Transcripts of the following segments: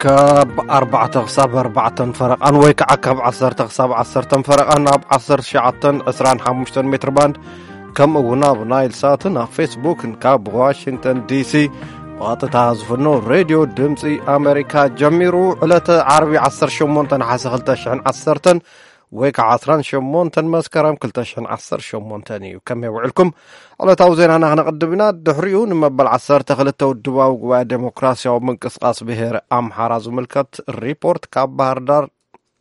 ካብ ኣርባዕተ ክሳብ ኣርባዕተን ፈረቓን ወይ ከዓ ካብ ዓሰርተ ክሳብ ዓሰርተን ፈረቓን ኣብ ዓሰርተ ትሽዓተን ዕስራን ሓሙሽተን ሜትር ባንድ፣ ከምኡ እውን ኣብ ናይል ሳትን ኣብ ፌስቡክን ካብ ዋሽንግተን ዲሲ ብቐጥታ ዝፍኖ ሬድዮ ድምፂ ኣሜሪካ ጀሚሩ። ዕለተ ዓርቢ ዓሰርተ ሸሞንተ ነሓሰ ክልተ ሽሕን ዓሰርተን ወይ ከዓ ዓስራን ሸሞንተን መስከረም ክልተ ሽሕን ዓሰርተ ሸሞንተን እዩ። ከመይ ውዕልኩም? ዕለታዊ ዜናና ክነቕድም ኢና። ድሕሪኡ ንመበል ዓሰርተ ክልተ ውድባዊ ጉባኤ ዴሞክራሲያዊ ምንቅስቃስ ብሄር ኣምሓራ ዝምልከት ሪፖርት ካብ ባህር ዳር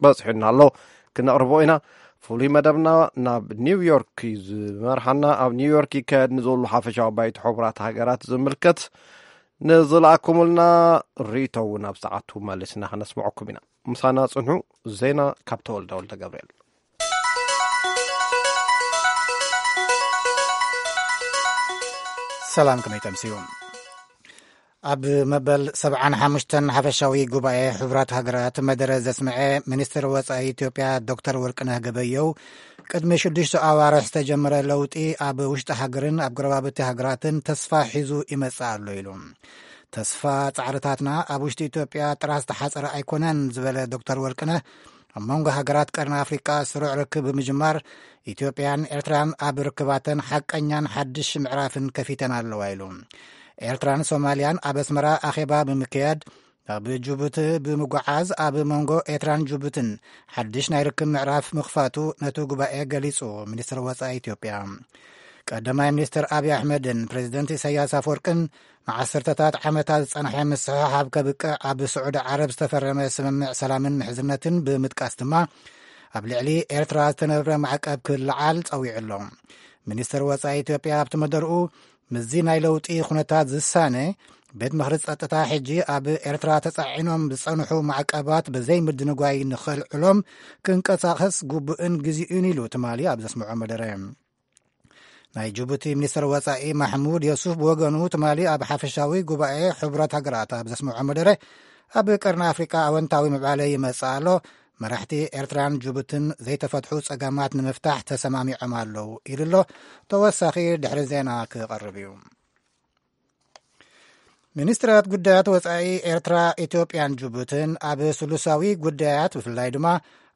በፂሑና ኣሎ፣ ክነቕርቦ ኢና። ፍሉይ መደብና ናብ ኒውዮርክ እዩ ዝመርሓና። ኣብ ኒውዮርክ ይካየድ ንዘሎ ሓፈሻዊ ባይቶ ሕቡራት ሃገራት ዝምልከት ንዝለኣኩምልና ርኢቶ እውን ኣብ ሰዓቱ መሊስና ክነስምዐኩም ኢና። ምሳና ጽንሑ። ዜና ካብ ተወልደ ወልደ ገብርኤል። ሰላም፣ ከመይ ተምስዩ? ኣብ መበል ሰብዓን ሓሙሽተን ሓፈሻዊ ጉባኤ ሕቡራት ሃገራት መደረ ዘስምዐ ሚኒስትር ወጻኢ ኢትዮጵያ ዶክተር ወርቅነህ ገበየው፣ ቅድሚ ሽዱሽተ ኣዋርሕ ዝተጀመረ ለውጢ ኣብ ውሽጢ ሃገርን ኣብ ጎረባብቲ ሃገራትን ተስፋ ሒዙ ይመጽእ ኣሎ ኢሉ። "ተስፋ ጻዕርታትና ኣብ ውሽጢ ኢትዮጵያ ጥራሕ ዝተሓጸረ ኣይኮነን" ዝበለ ዶክተር ወርቅነህ፣ ኣብ መንጎ ሃገራት ቀርኒ ኣፍሪቃ ስሩዕ ርክብ ብምጅማር፣ ኢትዮጵያን ኤርትራን ኣብ ርክባተን ሓቀኛን ሓድሽ ምዕራፍን ከፊተን ኣለዋ ኢሉ። ኤርትራን ሶማልያን ኣብ ኣስመራ ኣኼባ ብምክያድ፣ ኣብ ጅቡቲ ብምጉዓዝ ኣብ መንጎ ኤርትራን ጅቡትን ሓድሽ ናይ ርክብ ምዕራፍ ምኽፋቱ ነቲ ጉባኤ ገሊጹ። ሚኒስትር ወጻኢ ኢትዮጵያ ቀዳማይ ሚኒስትር ኣብይ ኣሕመድን ፕሬዚደንት ኢሳያስ ኣፈወርቅን ንዓሰርተታት ዓመታት ዝጸንሐ ምስሕሓብ ከብቅዕ ኣብ ስዑዲ ዓረብ ዝተፈረመ ስምምዕ ሰላምን ምሕዝነትን ብምጥቃስ ድማ፣ ኣብ ልዕሊ ኤርትራ ዝተነብረ ማዕቀብ ክልዓል ጸዊዑ ኣሎ። ሚኒስትር ወጻኢ ኢትዮጵያ ኣብቲ መደርኡ፣ ምስዚ ናይ ለውጢ ኩነታት ዝሳነ፣ ቤት ምኽሪ ጸጥታ ሕጂ ኣብ ኤርትራ ተጻዒኖም ዝጸንሑ ማዕቀባት ብዘይ ምድንጓይ ንኸልዕሎም ክንቀሳቐስ ግቡእን ግዜኡን ኢሉ ትማሊ ኣብ ዘስምዖ መደረ። ናይ ጅቡቲ ሚኒስትር ወጻኢ ማሕሙድ የሱፍ ብወገኑ ትማሊ ኣብ ሓፈሻዊ ጉባኤ ሕቡራት ሃገራት ኣብ ዘስምዖ መደረ፣ ኣብ ቀርኒ ኣፍሪቃ ኣወንታዊ ምዕባለ ይመጽእ ኣሎ፣ መራሕቲ ኤርትራን ጅቡትን ዘይተፈትሑ ጸገማት ንምፍታሕ ተሰማሚዖም ኣለዉ ኢሉ ኣሎ። ተወሳኺ ድሕሪ ዜና ክቐርብ እዩ። ሚኒስትራት ጉዳያት ወጻኢ ኤርትራ፣ ኢትዮጵያን ጅቡትን ኣብ ስሉሳዊ ጉዳያት፣ ብፍላይ ድማ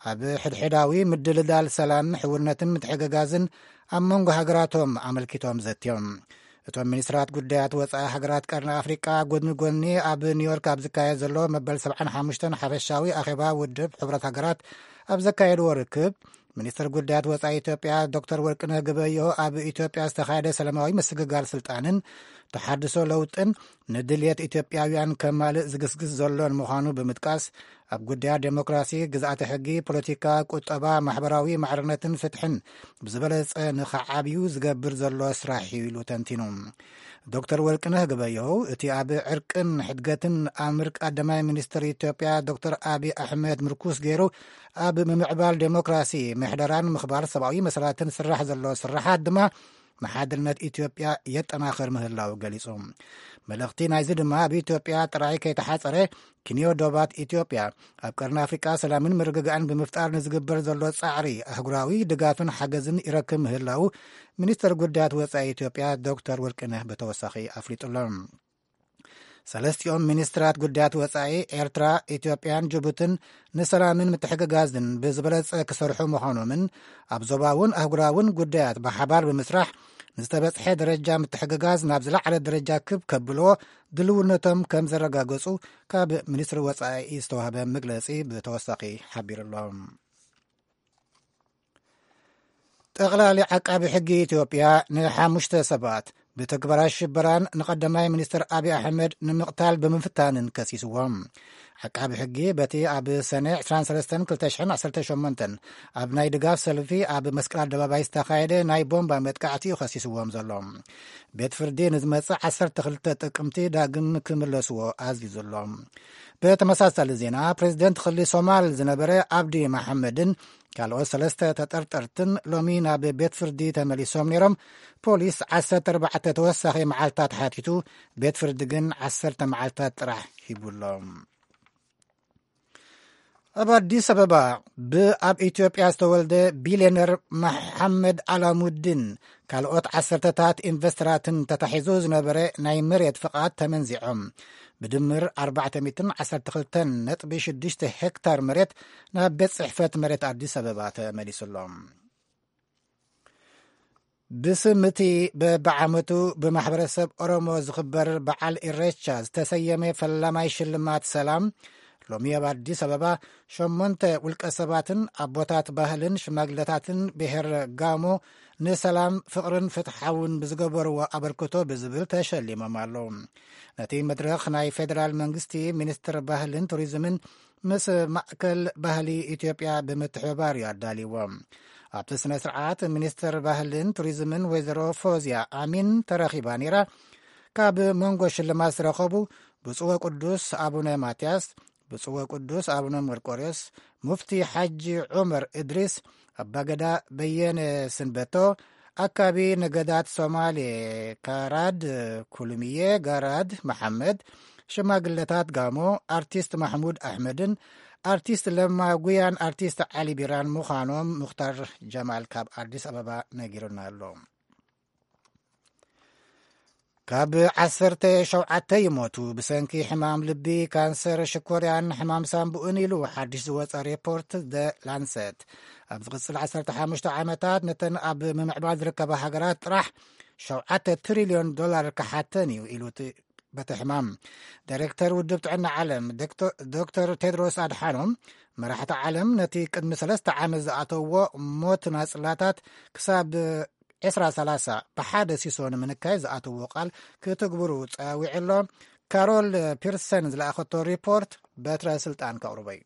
ኣብ ሕድሕዳዊ ምድልዳል ሰላም፣ ሕውነትን ምትሕግጋዝን ኣብ መንጎ ሃገራቶም ኣመልኪቶም ዘትዮም። እቶም ሚኒስትራት ጉዳያት ወጻኢ ሃገራት ቀርኒ ኣፍሪቃ፣ ጎድኒ ጎድኒ ኣብ ኒውዮርክ ኣብ ዝካየድ ዘሎ መበል ሰብዓን ሓሙሽተን ሓፈሻዊ ኣኼባ ውድብ ሕቡራት ሃገራት ኣብ ዘካየድዎ ርክብ፣ ሚኒስትር ጉዳያት ወጻኢ ኢትዮጵያ ዶክተር ወርቅነህ ገበየሁ፣ ኣብ ኢትዮጵያ ዝተኻየደ ሰላማዊ ምስግጋር ስልጣንን ተሓድሶ ለውጥን ንድልየት ኢትዮጵያውያን ከማልእ ዝግስግስ ዘሎን ምዃኑ ብምጥቃስ፣ ኣብ ጉዳያት ዴሞክራሲ፣ ግዝኣተ ሕጊ፣ ፖለቲካ፣ ቁጠባ፣ ማሕበራዊ ማዕርነትን ፍትሕን ብዝበለጸ ንኸዓብዩ ዝገብር ዘሎ ስራሕ እዩ ኢሉ ተንቲኑ። ዶክተር ወርቅነህ ገበየሁ፣ እቲ ኣብ ዕርቅን ሕድገትን ኣምር ቀዳማይ ሚኒስትር ኢትዮጵያ ዶክተር ኣብይ ኣሕመድ ምርኩስ ገይሩ ኣብ ምምዕባል ዴሞክራሲ፣ ምሕደራን ምኽባር ሰብኣዊ መሰላትን ስራሕ ዘሎ ስራሓት ድማ ንሓድነት ኢትዮጵያ የጠናኽር ምህላው ገሊጹ። መልእኽቲ ናይዚ ድማ፣ ኣብ ኢትዮጵያ ጥራይ ከይተሓጸረ፣ ክንዮ ዶባት ኢትዮጵያ ኣብ ቀርኒ ኣፍሪቃ ሰላምን ምርግጋእን ብምፍጣር ንዝግበር ዘሎ ጻዕሪ ኣህጉራዊ ድጋፍን ሓገዝን ይረክብ ምህላው ሚኒስትር ጉዳያት ወጻኢ ኢትዮጵያ ዶክተር ወርቅነህ ብተወሳኺ ኣፍሊጡ ኣሎ። ሰለስቲኦም ሚኒስትራት ጉዳያት ወጻኢ ኤርትራ፣ ኢትዮጵያን ጅቡትን ንሰላምን ምትሕግጋዝን ብዝበለጸ ክሰርሑ ምዃኖምን ኣብ ዞባውን ኣህጉራውን ጉዳያት ብሓባር ብምስራሕ ንዝተበጽሐ ደረጃ ምትሕግጋዝ ናብ ዝለዓለ ደረጃ ክብ ከብልዎ ድልውነቶም ከም ዘረጋገጹ ካብ ሚኒስትሪ ወጻኢ ዝተዋህበ መግለጺ ብተወሳኺ ሓቢሩ ኣሎ። ጠቕላሊ ዓቃቢ ሕጊ ኢትዮጵያ ንሓሙሽተ ሰባት ብተግባራት ሽበራን ንቀዳማይ ሚኒስትር ኣብይ ኣሕመድ ንምቕታል ብምፍታንን ከሲስዎም። ዓቃቢ ሕጊ በቲ ኣብ ሰነ ዕስራን ሰለስተን ክልተ ሽሕን ዓሰርተ ሸሞንተን ኣብ ናይ ድጋፍ ሰልፊ ኣብ መስቀል ኣደባባይ ዝተኻየደ ናይ ቦምባ መጥቃዕቲ እዩ ከሲስዎም ዘሎ። ቤት ፍርዲ ንዝመጽእ ዓሰርተ ክልተ ጥቅምቲ ዳግም ክምለስዎ ኣዚዙ ኣሎ። ብተመሳሳሊ ዜና፣ ፕሬዚደንት ክሊ ሶማል ዝነበረ ኣብዲ መሓመድን ካልኦት ሰለስተ ተጠርጠርትን ሎሚ ናብ ቤት ፍርዲ ተመሊሶም ነይሮም። ፖሊስ ዓሰርተ ኣርባዕተ ተወሳኺ መዓልታት ሓቲቱ፣ ቤት ፍርዲ ግን ዓሰርተ መዓልታት ጥራሕ ሂቡ ኣሎ። ኣብ ኣዲስ ኣበባ ብኣብ ኢትዮጵያ ዝተወልደ ቢልዮነር መሓመድ ኣላሙዲን ካልኦት ዓሰርተታት ኢንቨስተራትን ተታሒዙ ዝነበረ ናይ መሬት ፍቓድ ተመንዚዖም። ብድምር ኣርባዕተ ሚእትን ዓሰርተ ክልተን ነጥቢ ሽዱሽተ ሄክታር መሬት ናብ ቤት ጽሕፈት መሬት ኣዲስ ኣበባ ተመሊሱሎም። ብስም እቲ በብዓመቱ ብማሕበረሰብ ኦሮሞ ዝኽበር በዓል ኢሬቻ ዝተሰየመ ፈላማይ ሽልማት ሰላም፣ ሎሚ ኣብ ኣዲስ ኣበባ ሸሞንተ ውልቀ ሰባትን ኣቦታት ባህልን ሽማግለታትን ብሔር ጋሞ ንሰላም፣ ፍቕርን ፍትሓውን ብዝገበርዎ ኣበርክቶ ብዝብል ተሸሊሞም ኣለዉ። ነቲ መድረኽ ናይ ፌደራል መንግስቲ ሚኒስትር ባህልን ቱሪዝምን ምስ ማእከል ባህሊ ኢትዮጵያ ብምትሕብባር እዩ ኣዳልይዎ። ኣብቲ ስነ ስርዓት ሚኒስትር ባህልን ቱሪዝምን ወይዘሮ ፎዝያ ኣሚን ተረኺባ ነይራ። ካብ መንጎ ሽልማት ዝረኸቡ ብፁዕ ወቅዱስ ኣቡነ ማትያስ፣ ብፁዕ ወቅዱስ ኣቡነ መርቆሬዎስ፣ ሙፍቲ ሓጂ ዑመር እድሪስ፣ ኣባገዳ በየነ ስንበቶ፣ ኣካቢ ነገዳት ሶማሌ ካራድ ኩሉምዬ ጋራድ መሓመድ፣ ሽማግለታት ጋሞ፣ ኣርቲስት ማሕሙድ ኣሕመድን ኣርቲስት ለማ ጉያን ኣርቲስት ዓሊ ቢራን ምዃኖም ሙኽታር ጀማል ካብ ኣዲስ ኣበባ ነጊሩና ኣሎ። ካብ ዓሰርተ ሸውዓተ ይሞቱ ብሰንኪ ሕማም ልቢ፣ ካንሰር፣ ሽኮርያን ሕማም ሳንቡእን ኢሉ ሓድሽ ዝወጸ ሪፖርት ደ ላንሰት። ኣብ ዝቕጽል ዓሰርተ ሓሙሽተ ዓመታት ነተን ኣብ ምምዕባል ዝርከባ ሃገራት ጥራሕ ሸውዓተ ትሪልዮን ዶላር ክሓተን እዩ ኢሉ እቲ በቲ ሕማም። ዳይሬክተር ውድብ ጥዕና ዓለም ዶክተር ቴድሮስ ኣድሓኖም፣ መራሕቲ ዓለም ነቲ ቅድሚ ሰለስተ ዓመት ዝኣተውዎ ሞት ናጽላታት ክሳብ ዕስራ ሰላሳ ብሓደ ሲሶ ንምንካይ ዝኣተዎ ቃል ክትግብሩ ጸዊዑ ኣሎ። ካሮል ፒርሰን ዝለኣኸቶ ሪፖርት በትረ ስልጣን ከቕርቦ እዩ።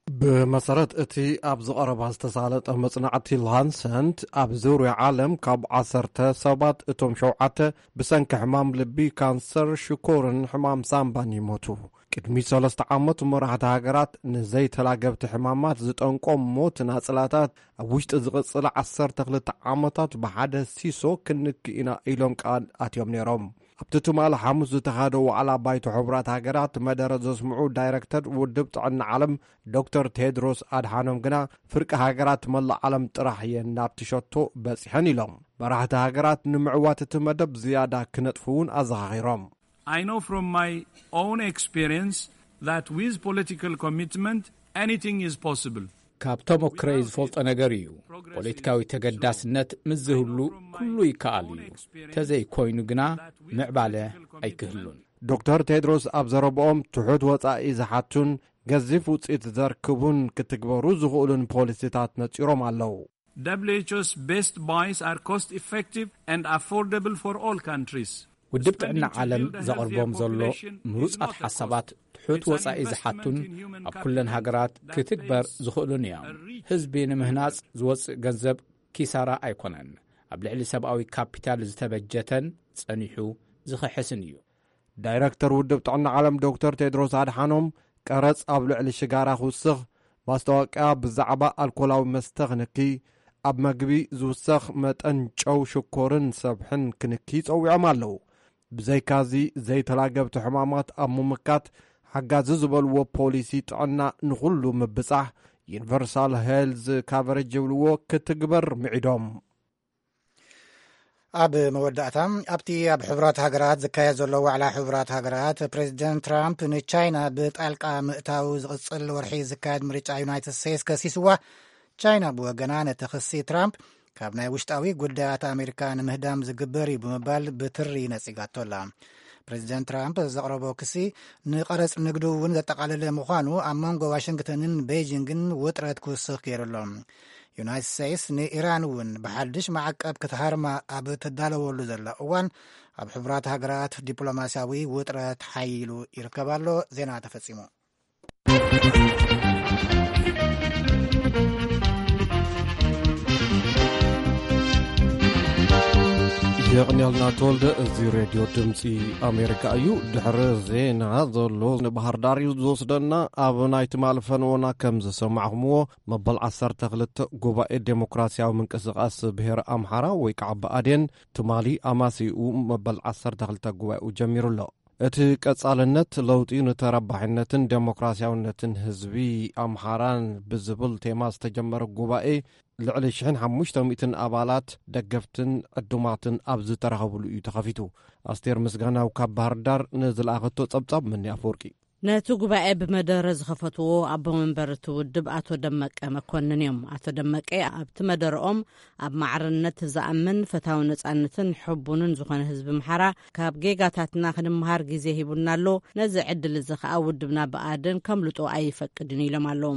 ብመሰረት እቲ ኣብ ዝቐረባ ዝተሳለጠ መጽናዕቲ ላንሰንት፣ ኣብ ዙርያ ዓለም ካብ ዓሰርተ ሰባት እቶም ሸውዓተ ብሰንኪ ሕማም ልቢ፣ ካንሰር፣ ሽኮርን ሕማም ሳምባን ይሞቱ። ቅድሚ ሰለስተ ዓመት መራሕቲ ሃገራት ንዘይተላገብቲ ሕማማት ዝጠንቆም ሞት ናጽላታት ኣብ ውሽጢ ዝቕጽል ዓሰርተ ክልተ ዓመታት ብሓደ ሲሶ ክንክእ ኢና ኢሎም ቃል ኣትዮም ነይሮም። ኣብቲ ትማሊ ሓሙስ ዝተኻደ ዋዕላ ባይቶ ሕቡራት ሃገራት መደረ ዘስምዑ ዳይረክተር ውድብ ጥዕና ዓለም ዶክተር ቴድሮስ ኣድሓኖም ግና፣ ፍርቂ ሃገራት መላእ ዓለም ጥራሕ እየን ናብቲ ሸቶ በጺሐን ኢሎም። መራሕቲ ሃገራት ንምዕዋት እቲ መደብ ዝያዳ ክነጥፉ እውን ኣዘኻኺሮም። I know from my own experience that with political commitment, anything is possible. ካብ ተሞክረይ ዝፈልጦ ነገር እዩ። ፖለቲካዊ ተገዳስነት ምስ ዝህሉ ኩሉ ይከኣል እዩ። ተዘይኮይኑ ግና ምዕባለ ኣይክህሉን። ዶክተር ቴድሮስ ኣብ ዘረብኦም፣ ትሑት ወጻኢ ዝሓቱን ገዚፍ ውጽኢት ዘርክቡን ክትግበሩ ዝኽእሉን ፖሊሲታት ነጺሮም ኣለዉ። W H O's best buys are cost effective and affordable for all countries. ውድብ ጥዕና ዓለም ዘቕርቦም ዘሎ ምሩጻት ሓሳባት ትሑት ወጻኢ ዝሓቱን ኣብ ኩለን ሃገራት ክትግበር ዝኽእሉን እዮም። ህዝቢ ንምህናጽ ዝወጽእ ገንዘብ ኪሳራ ኣይኮነን። ኣብ ልዕሊ ሰብኣዊ ካፒታል ዝተበጀተን ጸኒሑ ዝኽሕስን እዩ። ዳይረክተር ውድብ ጥዕና ዓለም ዶክተር ቴድሮስ ኣድሓኖም፣ ቀረጽ ኣብ ልዕሊ ሽጋራ ክውስኽ፣ ማስታወቅያ ብዛዕባ ኣልኮላዊ መስተ ክንኪ፣ ኣብ መግቢ ዝውሰኽ መጠን ጨው፣ ሽኮርን ሰብሕን ክንኪ ጸዊዖም ኣለዉ። ብዘይካዚ፣ ዘይተላገብቲ ሕማማት ኣብ ምምካት ሓጋዚ ዝበልዎ ፖሊሲ ጥዕና ንኹሉ ምብጻሕ፣ ዩኒቨርሳል ሄልዝ ካቨሬጅ ዝብልዎ፣ ክትግበር ምዒዶም። ኣብ መወዳእታ፣ ኣብቲ ኣብ ሕቡራት ሃገራት ዝካየድ ዘሎ ዋዕላ ሕቡራት ሃገራት፣ ፕሬዚደንት ትራምፕ ንቻይና ብጣልቃ ምእታው ዝቕጽል ወርሒ ዝካየድ ምርጫ ዩናይትድ ስቴትስ ከሲስዋ፣ ቻይና ብወገና ነቲ ክሲ ትራምፕ ካብ ናይ ውሽጣዊ ጉዳያት ኣሜሪካ ንምህዳም ዝግበር እዩ ብምባል ብትሪ ነጺጋቶ ኣላ። ፕሬዚደንት ትራምፕ ዘቕረቦ ክሲ ንቐረጽ ንግዱ እውን ዘጠቓለለ ምዃኑ ኣብ መንጎ ዋሽንግተንን ቤይጂንግን ውጥረት ክውስኽ ገይሩ ኣሎ። ዩናይትድ ስቴትስ ንኢራን እውን ብሓድሽ ማዕቀብ ክትሃርማ ኣብ ትዳለወሉ ዘላ እዋን፣ ኣብ ሕቡራት ሃገራት ዲፕሎማስያዊ ውጥረት ሓይሉ ይርከብ ኣሎ። ዜና ተፈጺሙ። የቕንያልና ተወልደ። እዚ ሬድዮ ድምፂ ኣሜሪካ እዩ። ድሕሪ ዜና ዘሎ ንባህር ዳር እዩ ዝወስደና። ኣብ ናይ ትማሊ ፈነወና ከም ዝሰማዕኹምዎ፣ መበል ዓሰርተ ክልተ ጉባኤ ዴሞክራሲያዊ ምንቅስቃስ ብሄር ኣምሓራ ወይ ከዓ ብኣዴን ትማሊ ኣማሲኡ መበል ዓሰርተ ክልተ ጉባኤኡ ጀሚሩ ኣሎ። እቲ ቀጻልነት ለውጢ ንተረባሕነትን ዴሞክራሲያውነትን ህዝቢ ኣምሓራን ብዝብል ቴማ ዝተጀመረ ጉባኤ፣ ልዕሊ ሽሕን ሓሙሽተ ሚእትን ኣባላት፣ ደገፍትን ዕዱማትን ኣብ ዝተረኸብሉ እዩ ተኸፊቱ። ኣስቴር ምስጋናው ካብ ባህር ዳር ንዝለኣኸቶ ጸብጻብ፣ መኒ ኣፈወርቂ። ነቲ ጉባኤ ብመደረ ዝኸፈትዎ ኣቦ መንበር እቲ ውድብ ኣቶ ደመቀ መኮንን እዮም። ኣቶ ደመቀ ኣብቲ መደረኦም፣ ኣብ ማዕርነት ዝኣምን፣ ፈታዊ ነጻነትን ሕቡንን ዝኾነ ህዝቢ ምሓራ፣ ካብ ጌጋታትና ክንምሃር ግዜ ሂቡና ኣሎ። ነዚ ዕድል እዚ ከኣ ውድብና ብኣደን ከምልጦ ኣይፈቅድን ኢሎም ኣለዉ።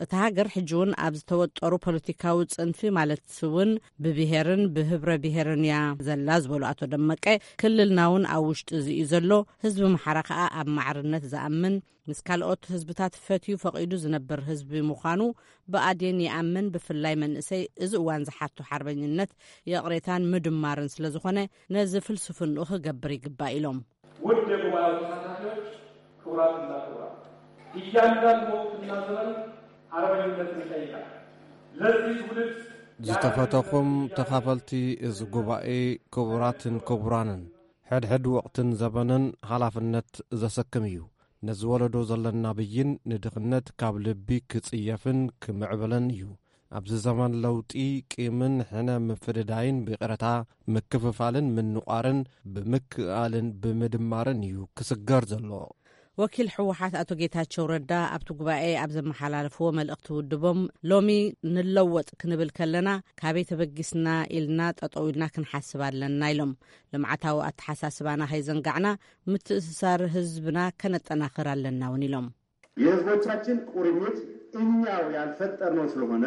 እታ ሃገር ሕጂ እውን ኣብ ዝተወጠሩ ፖለቲካዊ ጽንፊ፣ ማለት እውን ብብሄርን ብህብረ ብሄርን እያ ዘላ ዝበሉ ኣቶ ደመቀ፣ ክልልና እውን ኣብ ውሽጢ እዚ እዩ ዘሎ። ህዝቢ ምሓራ ከኣ ኣብ ማዕርነት ዝኣምን፣ ምስ ካልኦት ህዝብታት ፈትዩ ፈቒዱ ዝነብር ህዝቢ ምዃኑ ብኣዴን ይኣምን። ብፍላይ መንእሰይ፣ እዚ እዋን ዝሓቶ ሓርበኝነት፣ ይቕሬታን ምድማርን ስለ ዝኾነ፣ ነዚ ፍልስፍንኡ ክገብር ይግባእ ኢሎም። ውድ የጉባኤው ተሳታፊዎች፣ ክቡራትና ክቡራት፣ እያንዳንዱ ወቅትና ዘመን አርበኝነትን ይጠይቃል። ለዚህ ትውልድ ዝተፈተኹም ተኻፈልቲ እዚ ጉባኤ፣ ክቡራትን ክቡራንን፣ ሕድሕድ ወቕትን ዘበንን ሓላፍነት ዘሰክም እዩ። ነዚ ወለዶ ዘለና ብይን ንድኽነት ካብ ልቢ ክጽየፍን ክምዕብልን እዩ። ኣብዚ ዘመን ለውጢ፣ ቂምን ሕነ ምፍድዳይን ብይቕረታ ምክፍፋልን ምንቋርን ብምክእኣልን ብምድማርን እዩ ክስገር ዘሎ። ወኪል ህወሓት ኣቶ ጌታቸው ረዳ ኣብቲ ጉባኤ ኣብ ዘመሓላለፍዎ መልእኽቲ ውድቦም፣ ሎሚ ንለወጥ ክንብል ከለና፣ ካበይ ተበጊስና ኢልና ጠጠው ኢልና ክንሓስብ ኣለና ኢሎም። ልምዓታዊ ኣተሓሳስባና ከይዘንጋዕና፣ ምትእስሳር ህዝብና ከነጠናኽር ኣለና እውን ኢሎም። የህዝቦቻችን ቁርኝት እኛው ያልፈጠርነው ስለሆነ፣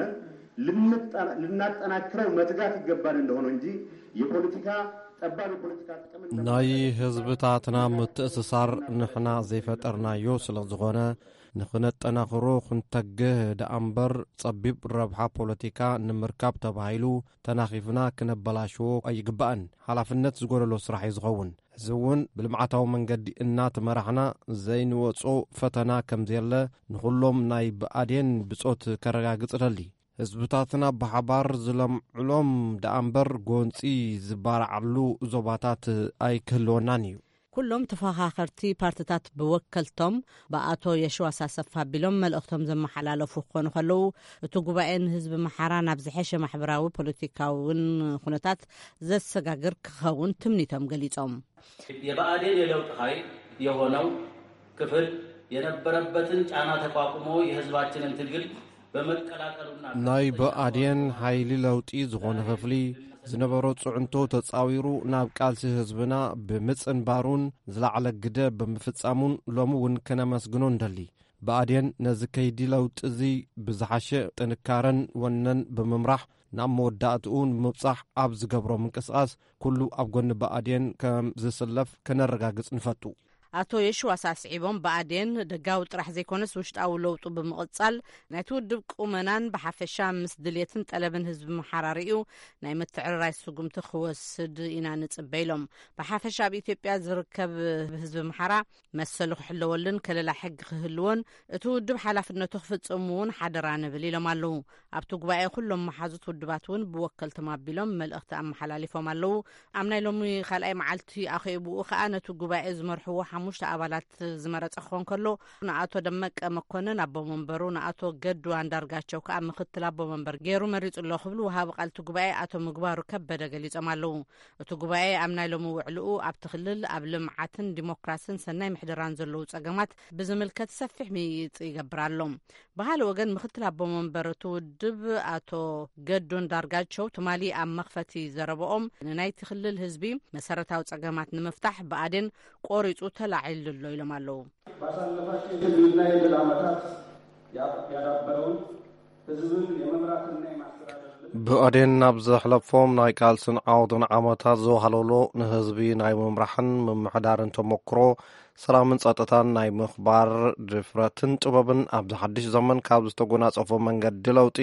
ልንጠ- ልናጠናክረው መትጋት ይገባን እንደሆነ እንጂ፣ የፖለቲካ ጠባብ የፖለቲካ ጥቅምን ናይ ህዝብታትና ምትእስሳር ንሕና ዘይፈጠርናዮ ስለ ዝኾነ፣ ንኽነጠናኽሮ ክንተግህ ደኣ እምበር፣ ጸቢብ ረብሓ ፖለቲካ ንምርካብ ተባሂሉ ተናኺፍና ክነበላሽዎ ኣይግባእን። ሓላፍነት ዝጎደሎ ስራሕ እዩ ዝኸውን። እዚ እውን ብልምዓታዊ መንገዲ እናተመራሕና ዘይንወጾ ፈተና ከም ዘየለ፣ ንኹሎም ናይ ብኣዴን ብጾት ከረጋግጽ እደሊ። ህዝብታትና ብሓባር ዝለምዕሎም ደኣ እምበር፣ ጎንጺ ዝበራዓሉ ዞባታት ኣይክህልወናን እዩ። ኩሎም ተፈኻኸርቲ ፓርትታት ብወከልቶም ብኣቶ የሽዋስ ኣሰፋ ኣቢሎም መልእኽቶም ዘመሓላለፉ ክኾኑ ከለዉ፣ እቲ ጉባኤ ንህዝቢ ምሓራ ናብ ዝሐሸ ማሕበራዊ ፖለቲካውን ኩነታት ዘሰጋግር ክኸውን ትምኒቶም ገሊጾም። የብአዴን የለውጥ ኃይል የሆነው ክፍል የነበረበትን ጫና ተቋቁሞ የህዝባችንን ትግል በመቀላቀሉና ናይ ብኣዴን ሓይሊ ለውጢ ዝኾነ ክፍሊ ዝነበሮ ጽዕንቶ ተጻዊሩ ናብ ቃልሲ ህዝብና ብምጽንባሩን ዝለዓለ ግደ ብምፍጻሙን ሎሚ እውን ከነመስግኖ እንደሊ። ብኣዴን ነዚ ከይዲ ለውጢ እዚ ብዝሓሸ ጥንካረን ወነን ብምምራሕ ናብ መወዳእትኡ ንምብጻሕ ኣብ ዝገብሮ ምንቅስቓስ ኩሉ ኣብ ጎኒ ብኣዴን ከም ዝስለፍ ከነረጋግጽ ንፈቱ። ኣቶ የሽዋስ ኣስዒቦም፣ ብኣዴን ደጋዊ ጥራሕ ዘይኮነስ ውሽጣዊ ለውጡ ብምቕጻል ናይቲ ውድብ ቁመናን ብሓፈሻ ምስ ድልየትን ጠለብን ህዝቢ ምሓራ ርእዩ ናይ ምትዕርራይ ስጉምቲ ክወስድ ኢና ንጽበ ኢሎም። ብሓፈሻ ኣብ ኢትዮጵያ ዝርከብ ህዝቢ ምሓራ መሰሉ ክሕለወሉን ከለላ ሕጊ ክህልዎን እቲ ውድብ ሓላፍነቱ ክፍጽም እውን ሓደራ ንብል ኢሎም ኣለዉ። ኣብቲ ጉባኤ ኩሎም መሓዙት ውድባት እውን ብወከልቶም ኣቢሎም መልእኽቲ ኣመሓላሊፎም ኣለዉ። ኣብ ናይ ሎሚ ካልኣይ መዓልቲ ኣኼብኡ ከኣ ነቲ ጉባኤ ዝመርሕዎ ሓሙሽተ ኣባላት ዝመረጸ ክኾን ከሎ፣ ንኣቶ ደመቀ መኮንን ኣቦ መንበሩ፣ ንኣቶ ገዱ ኣንዳርጋቸው ከኣ ምክትል ኣቦ መንበር ገይሩ መሪጹ ኣሎ ክብሉ ወሃቢ ቃል እቲ ጉባኤ ኣቶ ምግባሩ ከበደ ገሊጾም ኣለዉ። እቲ ጉባኤ ኣብ ናይ ሎሚ ውዕልኡ ኣብቲ ክልል ኣብ ልምዓትን ዲሞክራስን ሰናይ ምሕደራን ዘለዉ ጸገማት ብዝምልከት ሰፊሕ ምይይጥ ይገብር ኣሎ። ብኻልእ ወገን ምክትል ኣቦ መንበር እቲ ውድብ ኣቶ ገዱ ኣንዳርጋቸው ትማሊ ኣብ መኽፈቲ ዘረበኦም ንናይቲ ክልል ህዝቢ መሰረታዊ ጸገማት ንምፍታሕ ብኣዴን ቆሪጹ ተላዒሉ ኣሎ ኢሎም ኣለዉ። ባሳለፋቸው የትግልና የድል ዓመታት ያዳበረውን ህዝብን የመምራትና የማስተዳደር ብኣዴን ናብ ዘሕለፎም ናይ ቃልስን ዓወትን ዓመታት ዘዋህለሎ ንህዝቢ ናይ ምምራሕን ምምሕዳርን ተመክሮ፣ ሰላምን ጸጥታን ናይ ምኽባር ድፍረትን ጥበብን ኣብዚ ሓድሽ ዘመን ካብ ዝተጎናጸፎ መንገዲ ለውጢ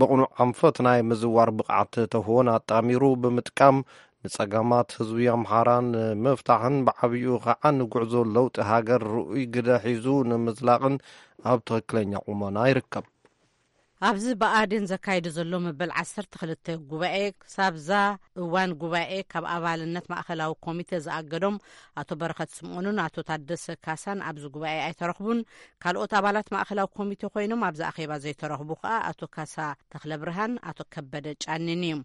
ብቕኑዕ ኣንፈት ናይ ምዝዋር ብቕዓት ተህዎን ኣጣሚሩ ብምጥቃም ንጸገማት ህዝቢ ኣምሓራ ንምፍታሕን ብዓብይኡ ኸዓ ንጉዕዞ ለውጢ ሃገር ርኡይ ግደ ሒዙ ንምዝላቕን ኣብ ትኽክለኛ ቁመና ይርከብ። ኣብዚ ብኣዴን ዘካይዱ ዘሎ መበል ዓሰርተ ክልተ ጉባኤ፣ ክሳብዛ እዋን ጉባኤ ካብ ኣባልነት ማእኸላዊ ኮሚቴ ዝኣገዶም ኣቶ በረኸት ስምኦንን ኣቶ ታደሰ ካሳን ኣብዚ ጉባኤ ኣይተረኽቡን። ካልኦት ኣባላት ማእኸላዊ ኮሚቴ ኮይኖም ኣብዚ ኣኼባ ዘይተረኽቡ ከኣ ኣቶ ካሳ ተኽለብርሃን ኣቶ ከበደ ጫኒን እዩ።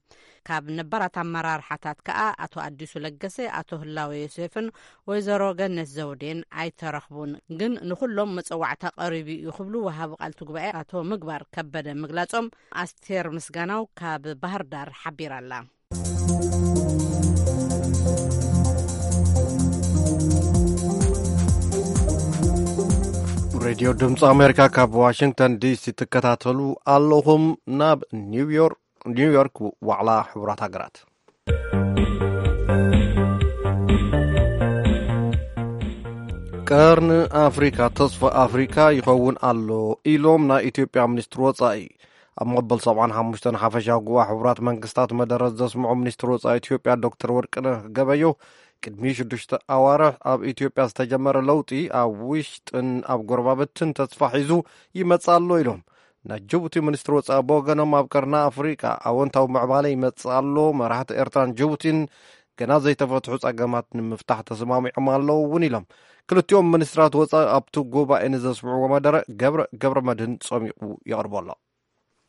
ካብ ነባራት ኣመራርሓታት ከኣ ኣቶ ኣዲሱ ለገሰ፣ ኣቶ ህላወ ዮሴፍን ወይዘሮ ገነት ዘውዴን ኣይተረኽቡን። ግን ንኹሎም መጸዋዕታ ቀሪቡ እዩ ክብሉ ወሃቢ ቃልቲ ጉባኤ ኣቶ ምግባር ከበደ ምግላጾም ኣስቴር ምስጋናው ካብ ባህር ዳር ሓቢራ ኣላ። ሬድዮ ድምፂ ኣሜሪካ ካብ ዋሽንግተን ዲሲ ትከታተሉ ኣለኹም። ናብ ኒውዮርክ፣ ኒውዮርክ ዋዕላ ሕቡራት ሃገራት። ቀርኒ ኣፍሪካ ተስፋ ኣፍሪካ ይኸውን ኣሎ ኢሎም ናይ ኢትዮጵያ ሚኒስትር ወፃኢ። ኣብ መበል ሰብዓን ሓሙሽተን ሓፈሻዊ ጉባኤ ሕቡራት መንግስታት መደረ ዘስምዑ ሚኒስትር ወፃኢ ኢትዮጵያ ዶክተር ወርቅነህ ገበዮ፣ ቅድሚ ሽዱሽተ ኣዋርሕ ኣብ ኢትዮጵያ ዝተጀመረ ለውጢ ኣብ ውሽጥን ኣብ ጎረባብትን ተስፋ ሒዙ ይመጽእ ኣሎ ኢሎም። ናይ ጅቡቲ ሚኒስትር ወፃኢ ብወገኖም፣ ኣብ ቀርኒ ኣፍሪቃ ኣወንታዊ ምዕባለ ይመጽእ ኣሎ፣ መራሕቲ ኤርትራን ጅቡቲን ገና ዘይተፈትሑ ጸገማት ንምፍታሕ ተሰማሚዖም ኣለዉ እውን ኢሎም። ክልቲኦም ሚኒስትራት ወፃኢ ኣብቲ ጉባኤ ንዘስምዕዎ መደረ ገብረ፣ ገብረ መድህን ጸሚቑ የቕርቦ ኣሎ።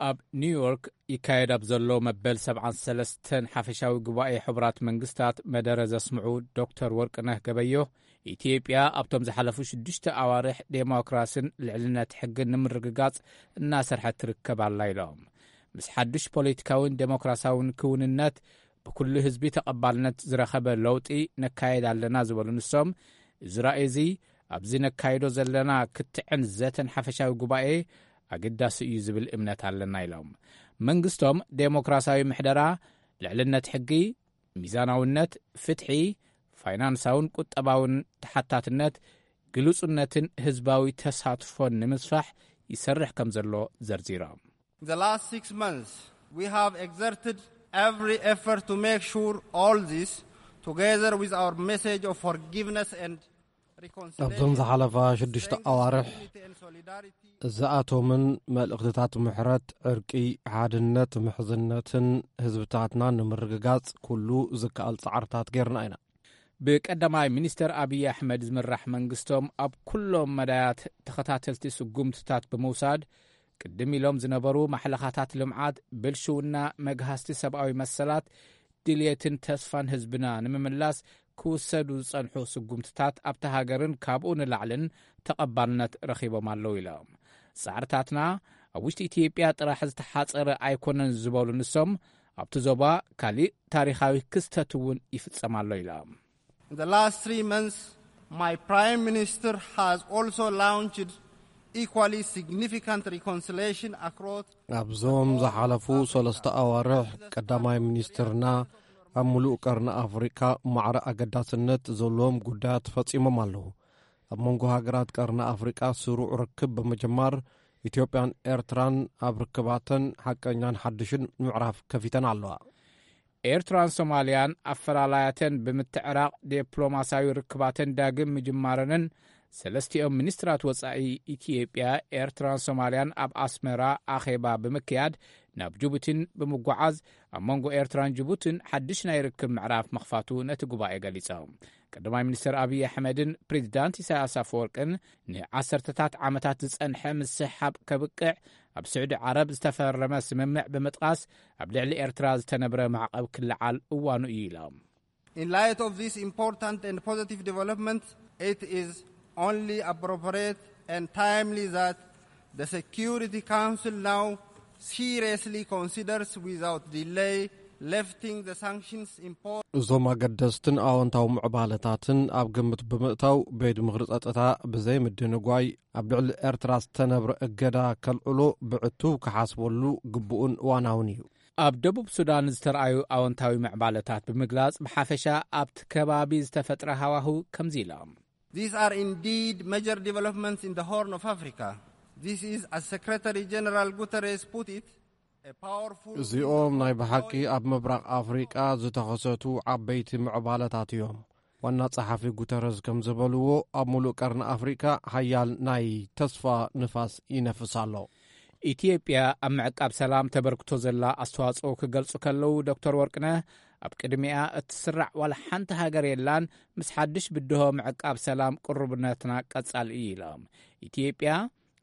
ኣብ ኒውዮርክ ይካየድ ኣብ ዘሎ መበል ሰብዓን ሰለስተን ሓፈሻዊ ጉባኤ ሕቡራት መንግስታት መደረ ዘስምዑ ዶክተር ወርቅነህ ገበዮ፣ ኢትዮጵያ ኣብቶም ዝሓለፉ ሽዱሽተ ኣዋርሕ ዴሞክራስን ልዕልነት ሕግን ንምርግጋጽ እናሰርሐት ትርከብ ኣላ ኢሎም። ምስ ሓዱሽ ፖለቲካውን ዴሞክራሲያውን ክውንነት ብኩሉ ህዝቢ ተቐባልነት ዝረኸበ ለውጢ ነካየድ ኣለና ዝበሉ ንሶም፣ እዚ ራእይ እዚ ኣብዚ ነካይዶ ዘለና ክትዕን ዘተን ሓፈሻዊ ጉባኤ ኣገዳሲ እዩ ዝብል እምነት ኣለና ኢሎም። መንግስቶም ዴሞክራሲያዊ ምሕደራ፣ ልዕልነት ሕጊ፣ ሚዛናውነት፣ ፍትሒ፣ ፋይናንሳውን ቁጠባውን ተሓታትነት፣ ግሉጽነትን ህዝባዊ ተሳትፎን ንምስፋሕ ይሰርሕ ከም ዘሎ ዘርዚሮም። In the last six months, we have exerted every effort to make sure all this, together with our message of forgiveness and reconciliation, ኣብዞም ዝሓለፋ ሽዱሽተ strengthens ኣዋርሕ community and solidarity. እዚኣቶምን መልእኽትታት ምሕረት፣ ዕርቂ፣ ሓድነት፣ ምሕዝነትን ህዝብታትና ንምርግጋጽ ኩሉ ዝከኣል ጻዕርታት ጌርና ኢና። ብቀዳማይ ሚኒስተር ኣብይ ኣሕመድ ዝምራሕ መንግስቶም ኣብ ኩሎም መዳያት ተኸታተልቲ ስጉምትታት ብምውሳድ፣ ቅድም ኢሎም ዝነበሩ ማሕለኻታት ልምዓት፣ ብልሽውና፣ መግሃስቲ ሰብኣዊ መሰላት፣ ድልየትን ተስፋን ህዝብና ንምምላስ ክውሰዱ ዝጸንሑ ስጉምትታት ኣብታ ሃገርን ካብኡ ንላዕልን ተቐባልነት ረኺቦም ኣለዉ ኢሎም። ጻዕርታትና ኣብ ውሽጢ ኢትዮጵያ ጥራሕ ዝተሓጸረ ኣይኮነን ዝበሉ ንሶም፣ ኣብቲ ዞባ ካሊእ ታሪኻዊ ክስተት እውን ይፍጸም ኣሎ ኢሎም። In the last three months, my Prime Minister has also launched equally significant reconciliation across ኣብዞም ዝሓለፉ ሰለስተ ኣዋርሕ ቀዳማይ ሚኒስትርና ኣብ ምሉእ ቀርኒ ኣፍሪቃ ማዕረ ኣገዳስነት ዘለዎም ጉዳያት ፈጺሞም ኣለዉ። ኣብ መንጎ ሃገራት ቀርኒ ኣፍሪቃ ስሩዕ ርክብ ብምጅማር፣ ኢትዮጵያን ኤርትራን ኣብ ርክባተን ሓቀኛን ሓድሽን ምዕራፍ ከፊተን ኣለዋ። ኤርትራን ሶማልያን ኣፈላላያተን ብምትዕራቕ ዲፕሎማስያዊ ርክባተን ዳግም ምጅማረንን ሰለስቲኦም ሚኒስትራት ወጻኢ ኢትዮጵያ፣ ኤርትራን ሶማልያን ኣብ ኣስመራ ኣኼባ ብምክያድ ናብ ጅቡቲን ብምጓዓዝ ኣብ መንጎ ኤርትራን ጅቡቲን ሓድሽ ናይ ርክብ ምዕራፍ ምኽፋቱ ነቲ ጉባኤ ገሊጾም። ቀዳማይ ሚኒስትር ኣብይ ኣሕመድን ፕሬዚዳንት ኢሳያስ ኣፈወርቅን ንዓሰርተታት ዓመታት ዝጸንሐ ምስሕሓብ ከብቅዕ ኣብ ስዑዲ ዓረብ ዝተፈረመ ስምምዕ ብምጥቃስ ኣብ ልዕሊ ኤርትራ ዝተነብረ ማዕቐብ ክለዓል እዋኑ እዩ ኢሎም። In light of this important and positive development, it is only appropriate and timely that the Security Council now seriously considers without delay lifting the sanctions imposed. እዞም ኣገደስትን ኣወንታዊ ምዕባለታትን ኣብ ግምት ብምእታው፣ ቤት ምኽሪ ጸጥታ ብዘይ ምድንጓይ ኣብ ልዕሊ ኤርትራ ዝተነብረ እገዳ ከልዕሎ ብዕቱብ ክሓስበሉ ግቡእን እዋናውን እዩ። ኣብ ደቡብ ሱዳን ዝተረኣዩ ኣወንታዊ ምዕባለታት ብምግላጽ፣ ብሓፈሻ ኣብቲ ከባቢ ዝተፈጥረ ሃዋህው ከምዚ ኢሎም። These are indeed major developments in the Horn of Africa. This is, as Secretary General Guterres put it, a powerful እዚኦም ናይ ብሓቂ ኣብ ምብራቕ ኣፍሪቃ ዝተኸሰቱ ዓበይቲ ምዕባለታት እዮም። ዋና ጸሓፊ ጉተረዝ ከም ዝበልዎ፣ ኣብ ሙሉእ ቀርኒ ኣፍሪቃ ሓያል ናይ ተስፋ ንፋስ ይነፍስ ኣሎ። ኢትዮጵያ ኣብ ምዕቃብ ሰላም ተበርክቶ ዘላ ኣስተዋጽኦ ክገልጹ ከለዉ፣ ዶክተር ወርቅነህ፣ ኣብ ቅድሚኣ እትስራዕ ዋላ ሓንቲ ሃገር የላን፣ ምስ ሓድሽ ብድሆ ምዕቃብ ሰላም ቅሩብነትና ቀጻሊ እዩ ኢሎም። ኢትዮጵያ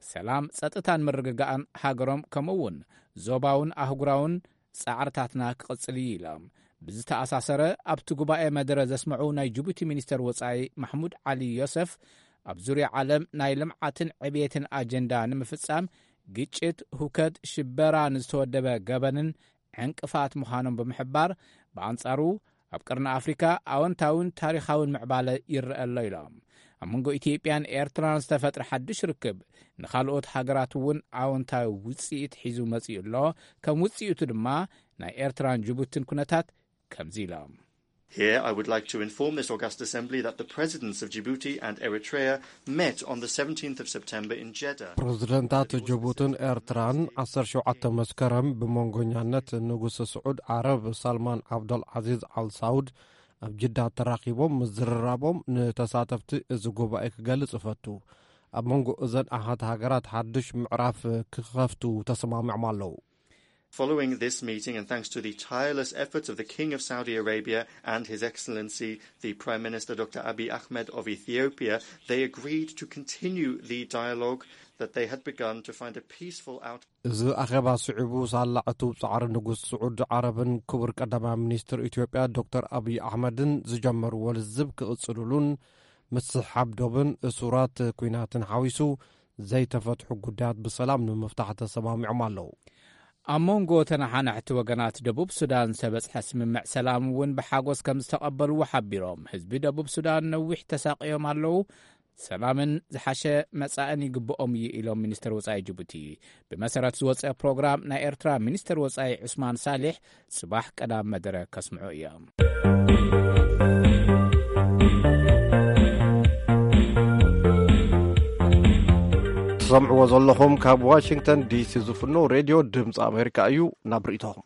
ሰላም፣ ጸጥታን ምርግጋእን ሃገሮም፣ ከምኡ እውን ዞባውን ኣህጉራውን ጻዕርታትና ክቕጽል እዩ ኢሎም። ብዝተኣሳሰረ፣ ኣብቲ ጉባኤ መደረ ዘስምዑ ናይ ጅቡቲ ሚኒስተር ወጻኢ ማሕሙድ ዓሊ ዮሰፍ፣ ኣብ ዙርያ ዓለም ናይ ልምዓትን ዕብየትን ኣጀንዳ ንምፍጻም፣ ግጭት፣ ሁከት፣ ሽበራ፣ ንዝተወደበ ገበንን ዕንቅፋት ምዃኖም ብምሕባር፣ ብኣንጻሩ ኣብ ቀርኒ ኣፍሪካ ኣወንታውን ታሪኻውን ምዕባለ ይረአ ኣሎ ኢሎም። ኣብ መንጎ ኢትዮጵያን ኤርትራን ዝተፈጥረ ሓድሽ ርክብ፣ ንኻልኦት ሃገራት እውን ኣወንታዊ ውጽኢት ሒዙ መጺኡ ኣሎ። ከም ውጽኢቱ ድማ፣ ናይ ኤርትራን ጅቡትን ኩነታት ከምዚ ኢሎም። Here, I would like to inform this August Assembly that the Presidents of Djibouti and Eritrea met on the seventeenth of September in Jeddah. ፕረዚደንታት ጅቡትን ኤርትራን ዓሰርተ ሸውዓተ መስከረም ብመንጎኛነት ንጉስ ስዑድ ዓረብ ሳልማን ዓብደል ዓዚዝ ኣል ሳውድ ኣብ ጅዳ ተራኺቦም ምዝርራቦም ንተሳተፍቲ እዚ ጉባኤ ክገልጽ እፈቱ። ኣብ መንጎ እዘን ኣሃት ሃገራት ሓድሽ ምዕራፍ ክኸፍቱ ተሰማሚዖም ኣለዉ። Following this meeting, and thanks to the tireless efforts of the King of Saudi Arabia and His Excellency the Prime Minister Doctor Abiy Ahmed of Ethiopia, they agreed to continue the dialogue that they had begun to find a peaceful outcome. እዚ ኣኼባ ስዒቡ ሳላ ዕቱብ ጻዕሪ ንጉስ ስዑድ ዓረብን ክቡር ቀዳማይ ሚኒስትር ኢትዮጵያ ዶክተር ኣብይ ኣሕመድን ዝጀመርዎ ልዝብ ክቕጽልሉን፣ ምስሕሓብ ዶብን እሱራት ኲናትን ሓዊሱ ዘይተፈትሑ ጉዳያት ብሰላም ንምፍታሕ ተሰማሚዖም ኣለዉ። ኣብ መንጎ ተነሓናሕቲ ወገናት ደቡብ ሱዳን ዝተበጽሐ ስምምዕ ሰላም እውን ብሓጎስ ከም ዝተቐበልዎ ሓቢሮም፣ ህዝቢ ደቡብ ሱዳን ነዊሕ ተሳቕዮም ኣለዉ፣ ሰላምን ዝሓሸ መጻእን ይግብኦም እዩ ኢሎም ሚኒስትር ወጻኢ ጅቡቲ። ብመሰረት ዝወጸ ፕሮግራም ናይ ኤርትራ ሚኒስትር ወጻኢ ዑስማን ሳሊሕ ጽባሕ ቀዳም መደረ ከስምዑ እዮም። ትሰምዕዎ ዘለኹም ካብ ዋሽንግተን ዲሲ ዝፍኖ ሬድዮ ድምፂ ኣሜሪካ እዩ። ናብ ርእይቶኹም።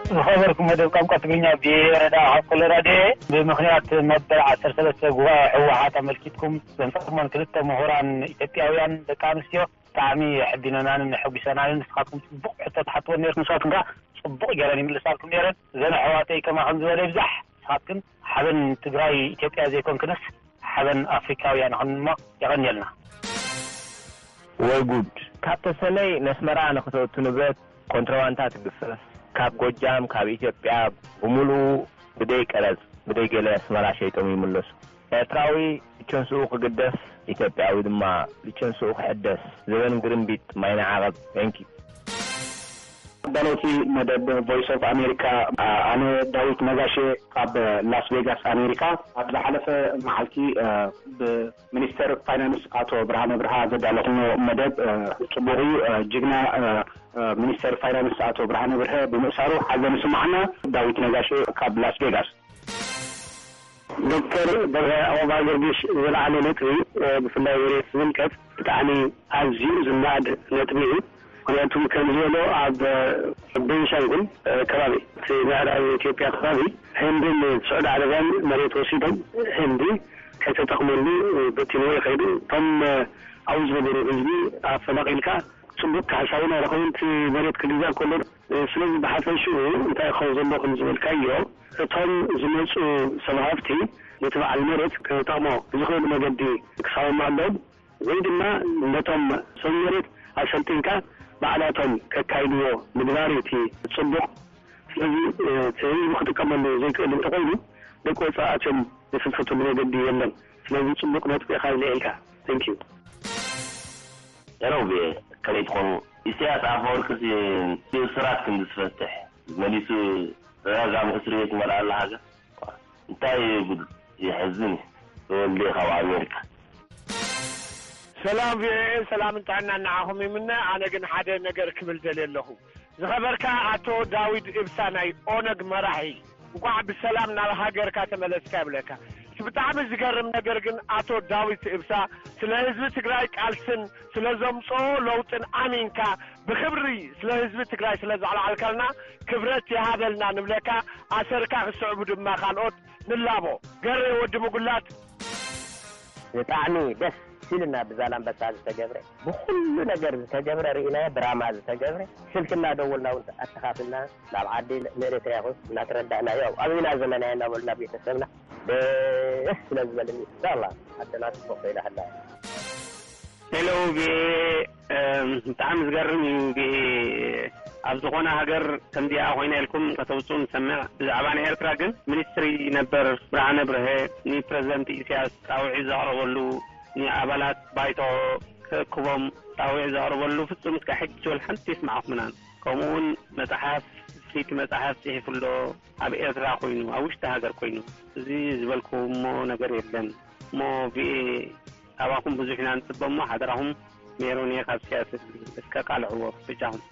ዝኸበርኩም መደብ ቋንቋ ትግርኛ፣ ብረዳ ካብ ኮሎራዶ እየ። ብምኽንያት መበል ዓሰርተ ሰለስተ ጉባኤ ህወሓት ኣመልኪትኩም ዘምጻእኩሞን ክልተ ምሁራን ኢትዮጵያውያን ደቂ ኣንስትዮ ብጣዕሚ የሕቢነናንን የሐጒሰናንን። ንስኻትኩም ጽቡቕ ሕቶ ትሓትወን ነይርኩም፣ ንሳትኩም ከኣ ጽቡቕ ገይረን ይምልሳልኩም ነይረን። እዘን ኣሕዋተይ ከማኹም ዝበለ ይብዛሕ። ንስኻትክን ሓበን ትግራይ ኢትዮጵያ ዘይኮንክንስ ሓበን ኣፍሪካውያን ይኹን እሞ የቐንየልና። ወይ ጉድ! ካብ ተሰነይ ነስመራ ንኽተእቱ ንብረት ኮንትሮባንዳ ትግፈፍ። ካብ ጎጃም፣ ካብ ኢትዮጵያ ብምሉኡ ብደይ ቀረጽ፣ ብደይ ገለ ኣስመራ ሸይጦም ይምለሱ። ኤርትራዊ ልቸንስኡ ክግደፍ፣ ኢትዮጵያዊ ድማ ልቸንስኡ ክሕደስ። ዘበን ግርምቢጥ ማይና ዓቐብ። Thank you። ኣዳለውቲ መደብ ቮይስ ኦፍ ኣሜሪካ፣ ኣነ ዳዊት ነጋሽ ካብ ላስ ቬጋስ ኣሜሪካ። ኣብ ዝሓለፈ መዓልቲ፣ ብ ሚኒስተር ፋይናንስ ኣቶ ብርሃነ ብርሃ ዘዳለኹሞ መደብ፣ እ፣ ጽቡቕ እዩ። እ፣ ጅግና፣ እ፣ እ፣ ሚኒስተር ፋይናንስ ኣቶ ብርሃነ ብርሀ ብምእሳሩ ሓዘን ይስምዓና። ዳዊት ነጋሽ ካብ ላስ ቬጋስ። ዶክተር በርሀ፣ ኣብ ኣበባ ገርጊሽ ዝለዓለ ነጥቢ፣ እ፣ ብፍላይ መሬት ዝምልከት ብጣዕሚ ኣዝዩ ዝነኣድ ነጥቢ እዩ። ምኽንያቱ ከም ዝበሎ ኣብ፣ እ፣ ቤንሻንጉል፣ እ፣ ከባቢ፣ እቲ ምዕራብ ኢትዮጵያ ከባቢ ህንድን ስዑዲ ዓረብያን መሬት ወሲዶም ህንዲ ከይተጠቕመሉ በቲንዎ ይኸይዱ። እቶም ኣብኡ ዝነበሩ ህዝቢ ኣፈናቒልካ ጽቡቕ ካሕሳ እውን ኣይረኸቡን፣ እቲ መሬት ክግዛእ ከሎ። ስለዚ ብሓፈሽኡ እንታይ ክኸውን ዘለዎ ከም ዝበልካዮ፣ እቶም ዝመጹ ሰብ ሃፍቲ ነቲ በዓል መሬት ክጠቕሞ ብዝኽእል መገዲ ክሳወሙ ኣለዎም። ወይ ድማ ነቶም ሰብ መሬት ኣሰልጢንካ ባዕላቶም ከካይድዎ ምግባር እዩ እቲ ጽቡቕ። ስለዚ፣ እ፣ እቲ ህዝቢ ክጥቀመሉ ዘይክእል እንተኾይኑ፣ ደቂ ወጻኢ ኣትዮም ዝፍትፍትሉ መገዲ የለን። ስለዚ ጽቡቕ ነጥቢ ኢኻ ኣልዒልካ። Thank you። ሄሎ፣ ቪኦኤ፣ ከመይ ትኾኑ? ኢሳያስ ኣፈወርቅሲ ብእሱራት ክንዲ ዝፈትሕ መሊሱ ተደጋጋሚ እስር ቤት ይመልኣ ኣሎ ሃገር። እንታይ እዩ ጉድ? የሕዝን እዩ። ተወልደ ካብ ኣሜሪካ። ሰላም ቪኦኤ፣ ሰላምን ጥዕናን ንዓኹም ይምነ። ኣነ ግን ሓደ ነገር ክብል ደልየ ኣለኹ። ዝኸበርካ ኣቶ ዳዊት እብሳ ናይ ኦነግ መራሒ፣ እንቋዕ ብሰላም ናብ ሃገርካ ተመለስካ ይብለካ። እቲ ብጣዕሚ ዝገርም ነገር ግን ኣቶ ዳዊት እብሳ ስለ ህዝቢ ትግራይ ቃልስን ስለ ዘምጽኦ ለውጥን ኣሚንካ ብኽብሪ ስለ ህዝቢ ትግራይ ስለ ዘዕለዓልካልና ክብረት ይሃበልና ንብለካ። ኣሰርካ ክስዕቡ ድማ ካልኦት ንላቦ። ገሬ ወዲ ምጉላት። ብጣዕሚ ደስ ኢልና ብዛላምበሳ ዝተገብረ፣ ብኹሉ ነገር ዝተገብረ ርኢናዮ፣ ብራማ ዝተገብረ፣ ስልኪ እናደወልና እውን ኣተኻፊልና ናብ ዓዲ ንኤርትራ ይኹን እናተረዳእናዮ፣ ኣብና ዘለና እናበልና ቤተሰብና ደስ ስለ ዝበለኒ፣ ኢንሻላህ ዓድና ጽቡቕ ኮይና ሃላ። ሄሎ፣ ቪኦኤ፣ እም፣ ብጣዕሚ ዝገርም እዩ። ቪኦኤ ኣብ ዝኾነ ሃገር ከምዚኣ ኮይና ኢልኩም ከተውፅኡ ንሰምዕ። ብዛዕባ ናይ ኤርትራ ግን ሚኒስትሪ ነበር ብርሃነ ብርሀ ንፕረዚደንት ኢሳያስ ፃውዒት ዘቕረበሉ፣ ንኣባላት ባይቶ ክእክቦም ፃውዒት ዘቕረበሉ ፍጹም እስካብ ሕጂ ወላ ሓንቲ ይስማዕኹምናን። ከምኡ እውን መፅሓፍ፣ ፍልይቲ መፅሓፍ ፅሒፉ ኣሎ። ኣብ ኤርትራ ኮይኑ፣ ኣብ ውሽጢ ሃገር ኮይኑ፣ እዚ ዝበልኩሞ ነገር የለን። እሞ ቪኤ፣ ካባኹም ብዙሕ ኢና ንጽበ እሞ፣ ሓደራኹም ሜሮን እየ ካብ ሲያትል፣ እስከ ቃልዕዎ ብጃኹም።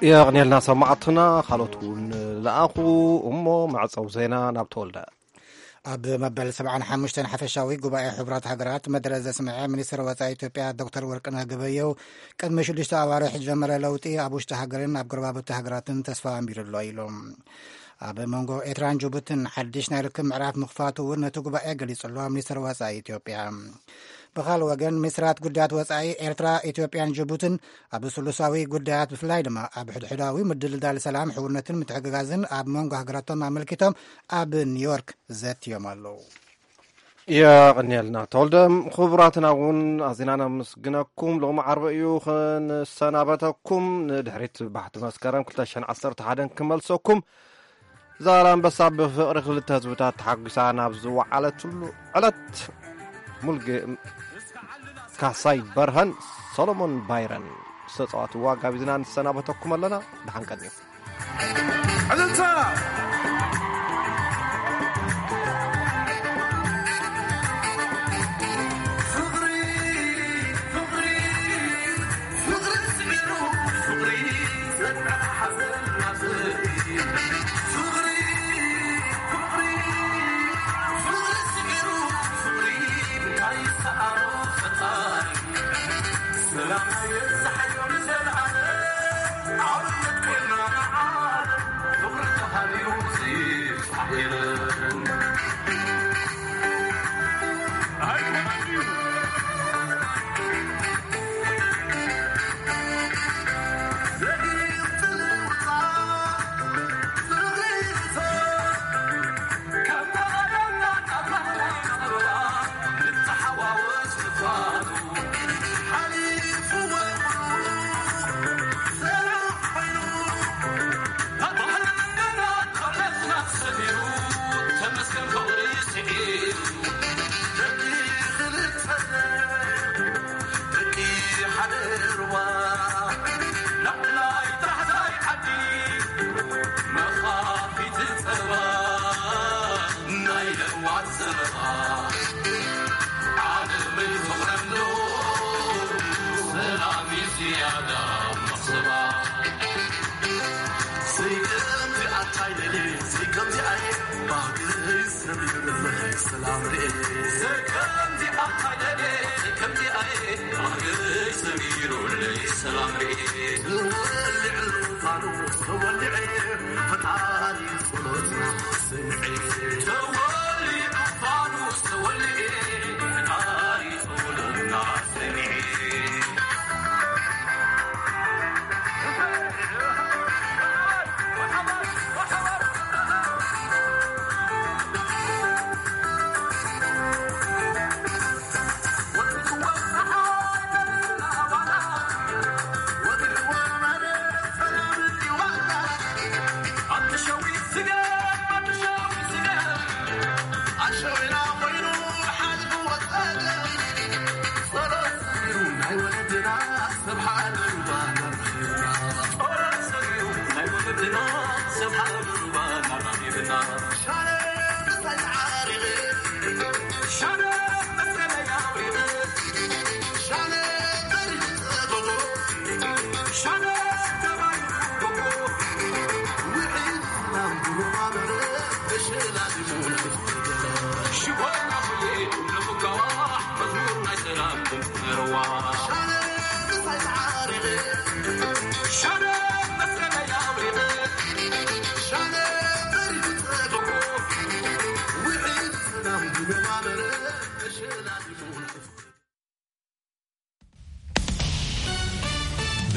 የቕንየልና ሰማዕትና፣ ካልኦት እውን ለኣኹ። እሞ መዕጸዊ ዜና ናብ ተወልደ። ኣብ መበል ሰብዓን ሓሙሽተን ሓፈሻዊ ጉባኤ ሕቡራት ሃገራት መደረ ዘስምዐ ሚኒስትር ወጻኢ ኢትዮጵያ ዶክተር ወርቅነህ ገበየሁ፣ ቅድሚ ሽዱሽተ ኣዋርሕ ዝጀመረ ለውጢ ኣብ ውሽጢ ሃገርን ኣብ ጎረባብቲ ሃገራትን ተስፋ ኣንቢሩ ኣሎ ኢሉ። ኣብ መንጎ ኤርትራን ጅቡትን ሓድሽ ናይ ርክብ ምዕራፍ ምኽፋቱ እውን ነቲ ጉባኤ ገሊጹ ኣሎ ሚኒስትር ወጻኢ ኢትዮጵያ። ብኻልእ ወገን፣ ሚኒስትራት ጉዳያት ወጻኢ ኤርትራ፣ ኢትዮጵያን ጅቡትን ኣብ ስሉሳዊ ጉዳያት፣ ብፍላይ ድማ ኣብ ሕድሕዳዊ ምድልዳል ሰላም፣ ሕውነትን ምትሕግጋዝን ኣብ መንጎ ሃገራቶም ኣመልኪቶም ኣብ ኒውዮርክ ዘትዮም ኣለዉ። የቐንየልና ተወልደ። ክቡራትና እውን ኣዚና ነመስግነኩም። ሎሚ ዓርቢ እዩ። ክንሰናበተኩም፣ ንድሕሪት ባሕቲ መስከረም ክልተ ሽሕን ዓሰርተ ሓደን ክመልሰኩም። ዛላምበሳ ብፍቕሪ ክልተ ህዝብታት ተሓጒሳ ናብ ዝወዓለትሉ ዕለት፣ ሙልጌ ካሳይ በርሀን ሰሎሞን ባይረን ዝተጻወትዋ ጋቢዝና ንሰናበተኩም ኣለና። ደሓን ቀንዩ። ዕልልታ! ፍቕሪ፣ ፍቕሪ፣ ፍቕሪ ስዒሩ፣ ፍቕሪ ዘጥዕቕ ሓዘን ናብ ዘርኢ። ፍቕሪ፣ ፍቕሪ፣ ፍቕሪ ስዒሩ፣ ፍቕሪ እንታይ ይሰኣኖ ፈጣሪ። ሰላም የብዝሓዮ ንዘለዓለም፣ ዓወት ኮይና ንዓለም፣ ፍቕሪ ተሃልዩ ዘይብጻሕ የለን። ኣይኮነን ድዩ? ደቂ ሓደ ሩባ፣ ናብ ላዕሊ ጥራሕ ዘይዓዲ፣ መኻፊት ጸባ፣ ናይ ለዋት ዘረባ፣ ዓለመይ ፍቕረም ዶ፣ ሰላም እዩ ዝያዳ መኽሰባ። ዘይከምዚ ኣታይ ደልየ፣ ዘይከምዚ ኣየ፣ ባህግይ ሰሚሩ፣ ሰላም ርኤ። ዘይከምዚ ኣታይ ደልየ፣ ዘይከምዚ ኣየ፣ ባህግይ ሰሚሩለይ፣ ሰላም ርኤ። ተወሊዕሉ ፋኑስ ተወሊዐ፣ ፈጣሪ ጸሎትና ስምዐ። ተወሊዑ ፋኑስ ተወሊዐ፣ ፈጣሪ ጸሎትና ስምዐ።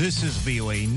This is V O A